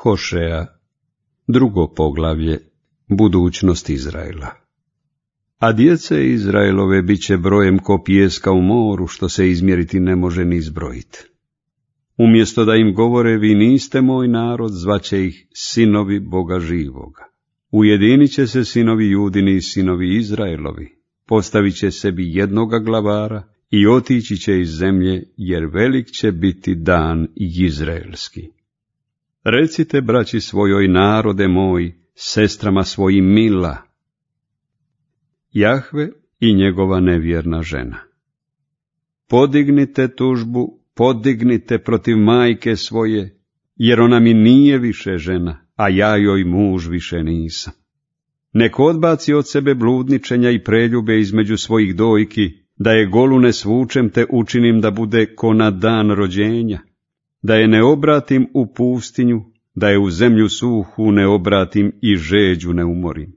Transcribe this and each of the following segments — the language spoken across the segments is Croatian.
Hošeja, 2. poglavlje, budućnost Izraela. A djece Izraelove bit će brojem ko pijeska u moru, što se izmjeriti ne može ni izbrojiti. Umjesto da im govore, vi niste moj narod, zvaće ih sinovi Boga živoga. Ujedinit će se sinovi Judini i sinovi Izraelovi, postavit će sebi jednoga glavara i otići će iz zemlje, jer velik će biti dan izraelski. Recite braći svojoj, narode moj, sestrama svojim mila. Jahve i njegova nevjerna žena. Podignite tužbu, podignite protiv majke svoje, jer ona mi nije više žena, a ja joj muž više nisam. Nek odbaci od sebe bludničenja i preljube između svojih dojki, da je golu ne svučem te učinim da bude ko na dan rođenja, da je ne obratim u pustinju, da je u zemlju suhu ne obratim i žeđu ne umorim.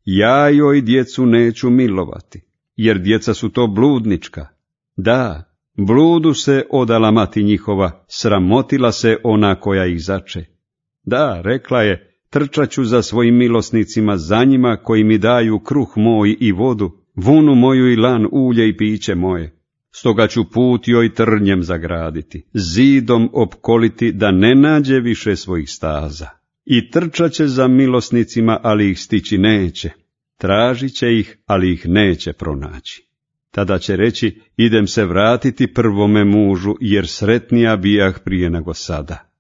Ja joj djecu neću milovati, jer djeca su to bludnička. Da, bludu se odala mati njihova, sramotila se ona koja ih zače. Da, rekla je, trčat ću za svojim milosnicima, za njima koji mi daju kruh moj i vodu, vunu moju i lan, ulje i piće moje. Stoga ću put joj trnjem zagraditi, zidom opkoliti, da ne nađe više svojih staza. I trčat će za milosnicima, ali ih stići neće. Tražit će ih, ali ih neće pronaći. Tada će reći, idem se vratiti prvome mužu, jer sretnija bijah prije nego sada.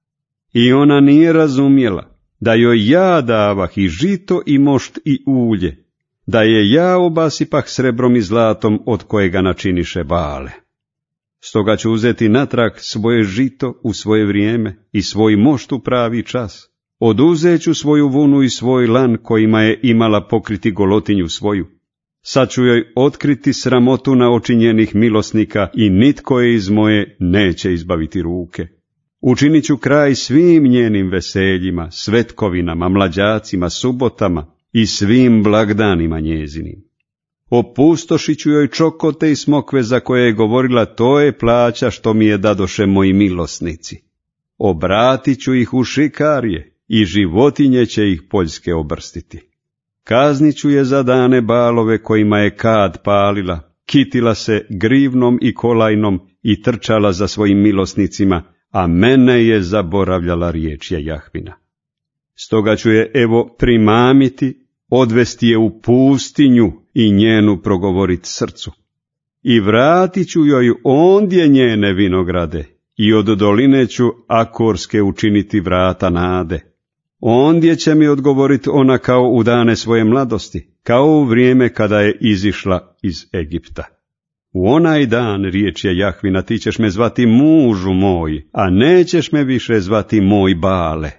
I ona nije razumjela da joj ja davah i žito i mošt i ulje, da je ja obasipah srebrom i zlatom od kojega načiniše Bale. Stoga ću uzeti natrag svoje žito u svoje vrijeme i svoj mošt u pravi čas. Oduzet ću svoju vunu i svoj lan kojima je imala pokriti golotinju svoju. Sad ću joj otkriti sramotu na oči njenih milosnika i nitko je iz moje neće izbaviti ruke. Učinit ću kraj svim njenim veseljima, svetkovinama, mlađacima, subotama i svim blagdanima njezinim. Opustošit ću joj čokote i smokve za koje je govorila, to je plaća što mi je dadoše moji milosnici. Obratit ću ih u šikarije i životinje će ih poljske obrstiti. Kaznit ću je za dane Balove kojima je kad palila, kitila se grivnom i kolajnom i trčala za svojim milosnicima, a mene je zaboravljala riječja Jahvina. Stoga ću je evo primamiti, odvesti je u pustinju i njenu progovorit srcu. I vratit ću joj ondje njene vinograde i od doline ću Akorske učiniti vrata nade. Ondje će mi odgovorit ona kao u dane svoje mladosti, kao u vrijeme kada je izišla iz Egipta. U onaj dan, riječ je Jahvina, ti ćeš me zvati mužu moj, a nećeš me više zvati moj Bale.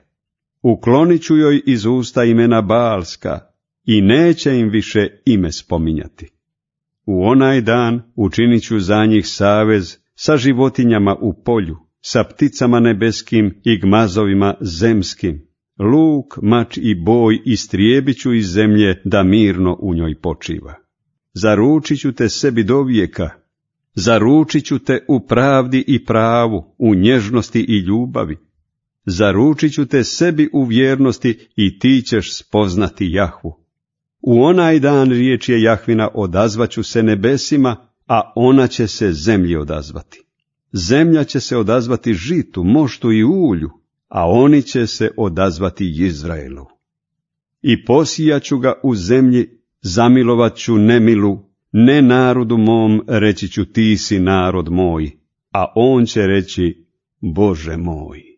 Uklonit ću joj iz usta imena Balska i neće im više ime spominjati. U onaj dan učinit ću za njih savez sa životinjama u polju, sa pticama nebeskim i gmazovima zemskim. Luk, mač i boj istrijebit ću iz zemlje da mirno u njoj počiva. Zaručit ću te sebi do vijeka, zaručit ću te u pravdi i pravu, u nježnosti i ljubavi. Zaručit ću te sebi u vjernosti i ti ćeš spoznati Jahvu. U onaj dan, riječ je Jahvina, odazvaću se nebesima, a ona će se zemlji odazvati. Zemlja će se odazvati žitu, moštu i ulju, a oni će se odazvati Izraelu. I posijat ću ga u zemlji, zamilovat ću nemilu, ne narodu mom, reći ću ti si narod moj, a on će reći Bože moj.